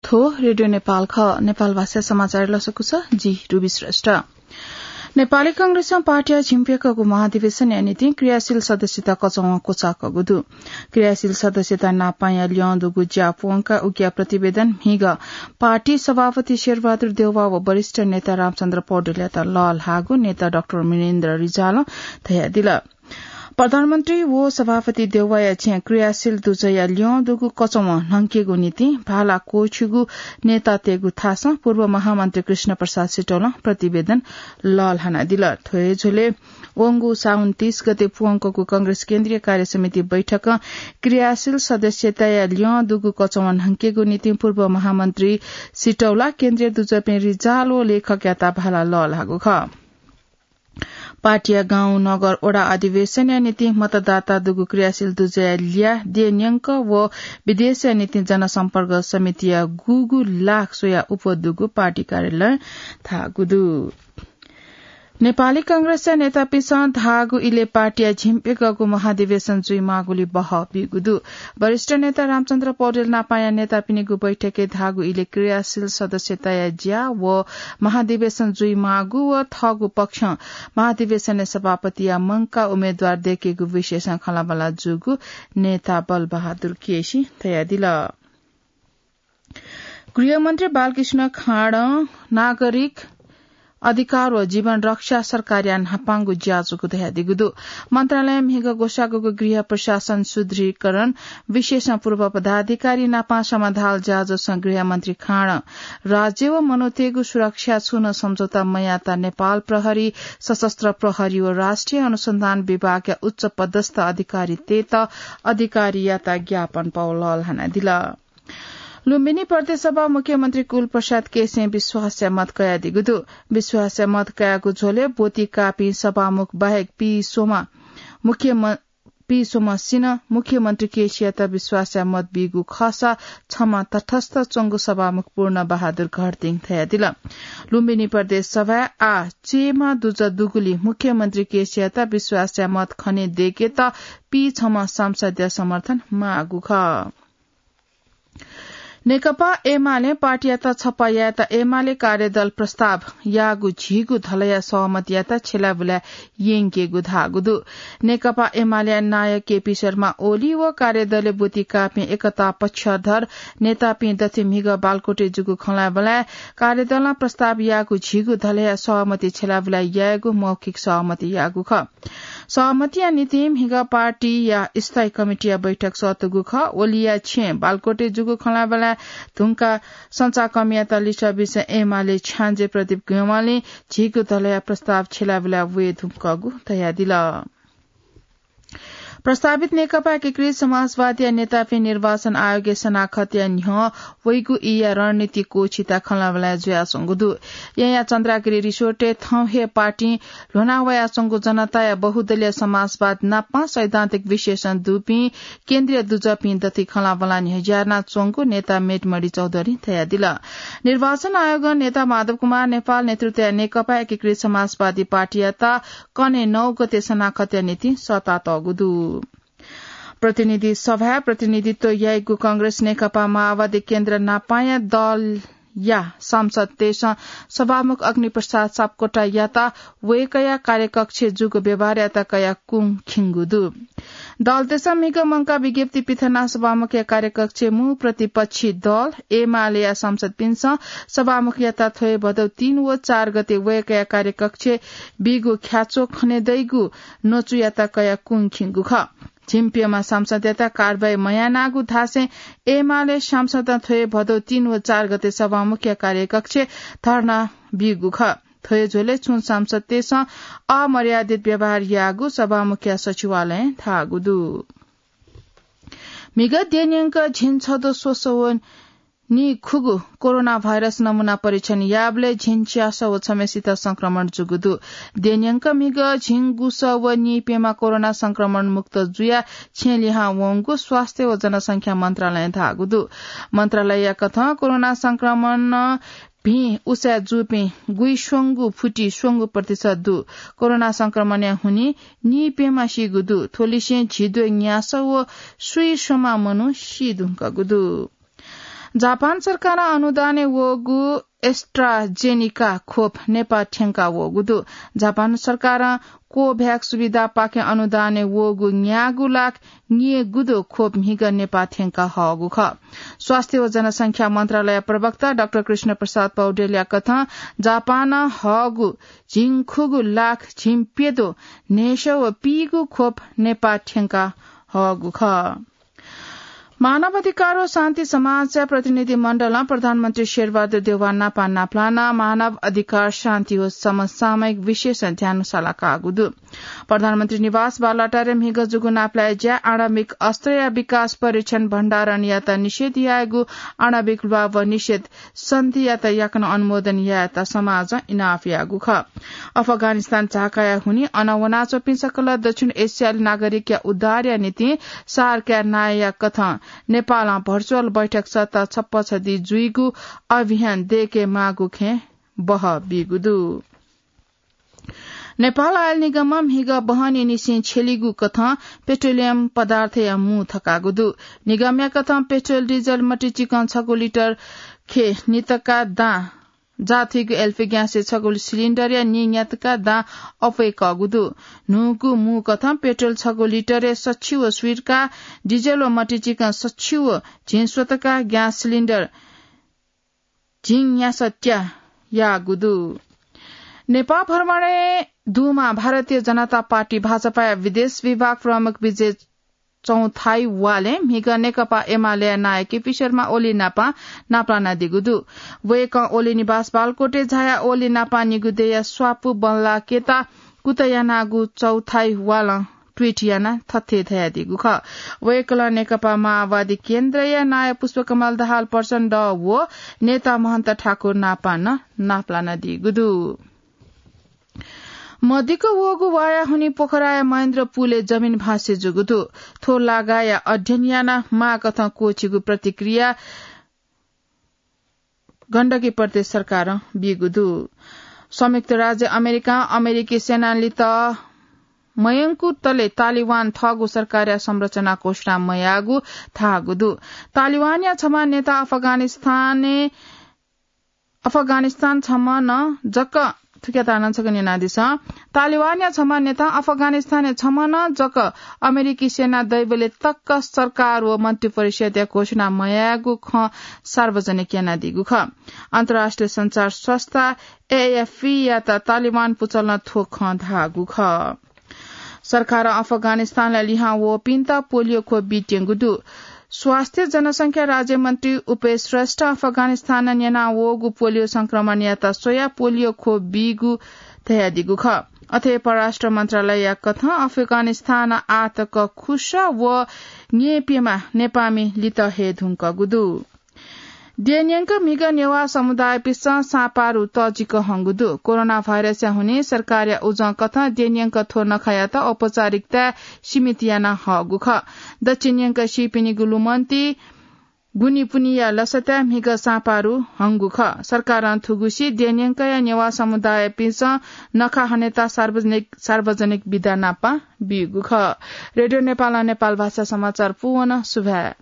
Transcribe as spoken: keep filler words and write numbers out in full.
थ्व रेडियो नेपाल खः। नेपाल भाषा समाचार लसकुस, जि रुबी श्रेष्ठ। नेपाली कांग्रेसं पार्टीया झिंप्यकःगु महाधिवेशनया निंतिं क्रियाशील सदस्यता कचवं क्वचाःकःगु दु। क्रियाशील सदस्यता नापांया ल्यं दुगु ज्या प्वंकाः उकिया प्रतिवेदन म्हिगः पार्टी सभापति शेरबहादुर देउवा व वरिष्ठ नेता रामचन्द्र पौडेलयात लःल्हाःगु नेता डाक्टर मिनेन्द्र रिजालं धयादिल। प्रधानमन्त्री व सभापति देउवाया छेँ क्रियाशील दुजःया ल्यं दुगु कचवं न्हंकेगु निंतिं भाला क्वःछिगु नेतातय्गु थासं पूर्व महामन्त्री कृष्ण प्रसाद सिटौलं प्रतिवेदन लःल्हानादिल। थ्व हे झ्वलय् वंगु साउन तीस गते प्वंकःगु कांग्रेस केन्द्रीय कार्य समिति बैठकं क्रियाशील सदस्यताया ल्यं दुगु कचवं न्हंकेगु निंतिं पूर्व महामन्त्री सिटौला, केन्द्रीय दुजःपिं रिजाल व लेखकयात भाला लःल्हाःगु खः। पार्टीया गाउँ, नगर, वडा अधिवेशनया निंतिं मतदाता दुगु क्रियाशील दुजःया ल्याः देय् न्यंक व विदेशया निंतिं जनसम्पर्क समितिया गुगु लाख स्वयाः उपः दुगु पार्टी कार्यालयं धाःगु दु। नेपाली कांग्रेसया नेतापिन्सं धाःगु इलय् पार्टीया झिंप्यकःगु महाधिवेशन जुइमाःगुलिं बहः बीगु दु। वरिष्ठ नेता रामचन्द्र पौडेल नापांया नेतापिनिगु बैठकय् धाःगु इलय् क्रियाशील सदस्यताया ज्या व महाधिवेशन जुइमाःगु व थःगु पक्षं महाधिवेशनय् सभापतिया मंकाः उम्मेदवार दय्केगु विषयसं खँल्हाबल्हा जूगु नेता बलबहादुर केसीं धयादिल। गृहमन्त्री बालकृष्ण खाँडं नागरिक अधिकार व जीवन रक्षा सरकारया न्हापांगु ज्या जूगु धयादीगु दु। मन्त्रालयं म्हिगः ग्वसाःगु गृह प्रशासन सुदृढीकरण विषयसं पूर्व पदाधिकारी नापं समाधाल ज्याझ्वलय् गृहमन्त्री खाँडं राज्य व मनूतय्गु सुरक्षा छुं नं सम्झौता मयाःत नेपाल प्रहरी, सशस्त्र प्रहरी व राष्ट्रिय अनुसन्धान विभागया उच्च पदस्थ अधिकारीतय्त अधिकारीयात ज्ञापन पाः लःल्हानादिल। लुम्बिनी प्रदेश सभा मुख्यमन्त्री कुलप्रसाद केसीं विश्वासया मत कयादीगु दु। विश्वासया मत कयागु झ्वलय् ब्वति काःपिं सभामुख बाहेक पीस्वम्ह मुख्यम-, पीस्वम्हसिनं मुख्यमन्त्री केसीयात विश्वासया मत बीगु खःसा छम्ह तटस्थ च्वंगु सभामुख पूर्ण बहादुर घरतिं धयादिल। लुम्बिनी प्रदेश सभाय् आः चय्म्ह दुजः दुगुलिं मुख्यमन्त्री केसीयात विश्वासया मत खने दय्केत पीछम्ह सांसदया समर्थन माःगु खः। नेकपा एमालें पार्टीयात छपा यायेत एमाले कार्यदल प्रस्ताव याःगु झीगु धलया सहमतियात छ्यलाबुलाय् यंकेगु धाःगु दु। नेकपा एमालेया नायः केपी शर्मा ओली व कार्यदलय् ब्वति काःपिं एकता पक्षधर नेतापिं दथुइ म्हिगः बालकोटय् जूगु खँल्हाबल्हाय् कार्यदलं प्रस्ताव याःगु झीगु धलया सहमति छ्यलाबुलाय् यायेगु मौखिक सहमति याःगु खः। सहमतिया निंतिं म्हिगः पार्टीया स्थायी कमिटीया बैठक सःतूगु खः। ओलीया छेँय् बालकोटय् जूगु खँल्हाबल्हाय् धुंकाः सञ्चारकर्मीयात लिसः बीसें एमाले छ्याञ्जे प्रदीप ग्यंवालीं झीगु धलया प्रस्ताव छ्यलाबुलाय् वये धुंकूगु धयादिल। प्रस्तावित नेकपा एकीकृत समाजवादीया नेतापिं निर्वाचन आयोगय् सनाखतया न्ह्यः वइगु ईया रणनीति क्वःछिता खँल्हाबल्हाय् जुयाच्वंगु दु। येँया चन्द्रागिरी रिसोर्टय् थौं हे पार्टीं ल्ह्वना वयाच्वंगु जनताया बहुदलीय समाजवाद नापं सैद्धान्तिक विश्लेषण दुपिं केन्द्रीय दुजःपिं दथुइ खँल्हाबल्हाय् न्ह्यज्यानाच्वंगु नेता मेटमणि चौधरीं धयादिल। निर्वाचन आयोगं नेता माधव कुमार नेपाल नेतृत्वया नेकपा एकीकृत समाजवादी पार्टीयात कन्हय् नौ गते सनाखतया निंतिं सःतातःगु दु। प्रतिनिधि सभाय् प्रतिनिधित्व याइगु कांग्रेस नेकपा माओवादी केन्द्र नापांया दलया सांसदतय्सं सभामुख अग्निप्रसाद सापकोटायात वय्कःया कार्यकक्षय् जूगु व्यवहारयात कयाः कुं खिंगु दु। दलतय्सं म्हिगः मंकाः विज्ञप्ति पिथनाः सभामुखया कार्यकक्षय् मू प्रतिपक्षी दल एमालेया सांसदपिन्सं सभामुखयात थ्व हे भदौ तीन व चार गते वय्कःया कार्यकक्षय् बीगु ख्याच्वः खने दइगु नचुयात कयाः कुं खिंगु खः। झिंप्यम्ह सांसदयात कारवाही मयानागु धासें एमाले सांसदं थ्व हे भदौ तीन व चार गते सभामुखया कार्यकक्षय् धर्ना बीगु खः। थ्व हे झ्वलय् छुं सांसदतय्सं अमर्यादित व्यवहार याःगु सभामुखया सचिवालयं धाःगु दु। म्हिगः देय्न्यंक झिंछद्वः स्वसः व नीखुगू कोरोना भाइरस नमूना परीक्षण याःबलय् झिंच्यासः व छम्हेसित संक्रमण जूगु दु। देय्न्यंक म्हिगः झिंगुसः व नीप्यम्ह कोरोना संक्रमण मुक्त जुयाः छेँ लिहां वंगु स्वास्थ्य व जनसंख्या मन्त्रालयं धाःगु दु। मन्त्रालयया कथं कोरोना संक्रमणं भिं उसाँय् जूपिं गुइस्वंगू फुति स्वंगू प्रतिशत दु। कोरोना संक्रमणया हुनिं नीप्यम्ह सीगु दु। थ्व लिसें झिद्वः न्यासः व स्वीस्वम्ह मनू सी धुंकूगु दु। जापान सरकारं अनुदानय् वःगु AstraZeneca खोप नेपाः थ्यंका वःगु दु। जापान सरकारं Covax सुविधापाखें अनुदानय् वःगु न्यागू लाख न्यय्‌गू दु खोप म्हिगः नेपाः थ्यंका हःगु खः। स्वास्थ्य व जनसंख्या मन्त्रालय प्रवक्ता डाक्टर कृष्ण प्रसाद पौडेलया कथं जापानं हःगु झिंखुगू लाख झिंप्यदँ न्हय्‌सः व पीगू खोप नेपाः थ्यंका हःगु खः। मानव अधिकार व शान्ति समाजया प्रतिनिधि मण्डलं प्रधानमन्त्री शेरबहादुर देउवा नापं नापलानाः मानव अधिकार, शान्ति व समसामयिक विषयय् ध्यान सालाकागु दु। प्रधानमन्त्री निवास बालुवाटारय् म्हिगः जूगु नापलाये ज्याय् आणविक अस्त्रया विकास, परीक्षण, भण्डारणयात निषेध यायेगु आणविक ल्वाभः निषेध सन्धियात याकनं अनुमोदन यायेत समाजं इनाप याःगु खः। अफगानिस्तान झाकाया हुनिं अन वनाच्वंपिं सकल दक्षिण एसियाली नागरिकया उद्धारया निंतिं सार्कया नायःया कथं नेपालं virtual बैठक सत्ता छप्पछदी जुइगु अभियान दय्‌के माःगु खँय् बहः बीगु दु। नेपाल आयल निगमं म्हिगः बहनीनिसें छ्यलीगु कथं पेट्रोलियम पदार्थया मू थकागु दु। निगमया कथं पेट्रोल, डिजल मतिचिकं छगू लिटर खे नितका दां जाःथुइगु एलपी ग्यासय् छगू सिलिन्डरया नीन्यातका दां अप्वय्‌कःगु दु। न्हूगु मू कथं पेट्रोल छगू लिटरय् सच्छि व स्वीतका, डिजल व मतिचिकं सच्छि व झिंस्वतका, ग्यास सिलिन्डर झिंन्यासत्या याःगु दु। नेपाः भ्रमणय् दुम्ह भारतीय जनता पार्टी भाजपाया विदेश विभाग प्रमुख विजय चौथाइवालं म्हिगः नेकपा एमालेया नायः केपी शर्मा ओली नापं नापलानादीगु दु। वय्‌कलं ओली निवास बालकोटय् झायाः ओली नापं निगू दँया स्वापू बल्लाकेत कुतः यानागु चौथाइवालं ट्वीट यानाः थथे धयादीगु खः। वय्‌कलं नेकपा माओवादी केन्द्रया नायः पुष्पकमल दाहाल प्रचण्ड व नेता महन्त ठाकुर नापं नं नापलानादीगु दु। मदिक्क वःगु वाया हुनिं पोखराया महेन्द्र पुलय् जमिन भ्वाँसे जूगु दु। थ्व लागाया अध्ययन यानाः माःकथं क्वःछिगु प्रतिक्रिया गण्डकी प्रदेश सरकारं बीगु दु। संयुक्त राज्य अमेरिकां अमेरिकी सेनां लित मयंकूतले तालिबान थःगु सरकारया संरचना घोषणा मयाःगु धाःगु दु। तालिबानया छम्ह नेता अफगानिस्तानय् अफगानिस्तान छम्ह नं जक, थुकियात नं छकः न्यनादिसँ। तालिबानया छम्ह नेता अफगानिस्तानय् छम्ह नं जक अमेरिकी सेना दइबलय् तक सरकार व मन्त्रिपरिषदया घोषणा मयायेगु खँ सार्वजनिक यानादीगु खः। अन्तर्राष्ट्रिय सञ्चार संस्था एएफपीयात तालिबान पुचलं थ्व खँ धाःगु खः। सरकारं अफगानिस्तानय् लिहां वःपिन्त पोलियो खोप बीत्यंगु दु। स्वास्थ्य जनसंख्या राज्यमन्त्री उपेश श्रेष्ठं अफगानिस्तानं न्यनावःगु पोलियो संक्रमणयात स्वयाः पोलियो खोप बीगु धयादीगु खः। अथे परराष्ट्र मन्त्रालयया कथं अफगानिस्तानं आःतक खुसः व न्यय्‌प्यम्ह नेपाःमि लित हये धुंकूगु दु। देय्‌न्यंक म्हिगः नेवाः समुदायपिन्सं साँपारु तःजिक हंगु दु। कोरोना भाइरसया हुनिं सरकारया उजं कथं देय्‌न्यंक थ्व नखःयात औपचारिकताय् सीमित याना हःगु खः। दच्छि न्यंक सीपिनिगु लुमन्ति गुनिपुनिया लसताय् म्हिगः साँपारु हंगु खः। सरकारं थुगुसी देय्‌न्यंकया नेवाः समुदायपिन्सं नखः हनेत सार्वजनिक, सार्वजनिक बिदा नापं बीगु खः। रेडियो नेपालं नेपाल भाषा समाचार पूवन सुभाय्।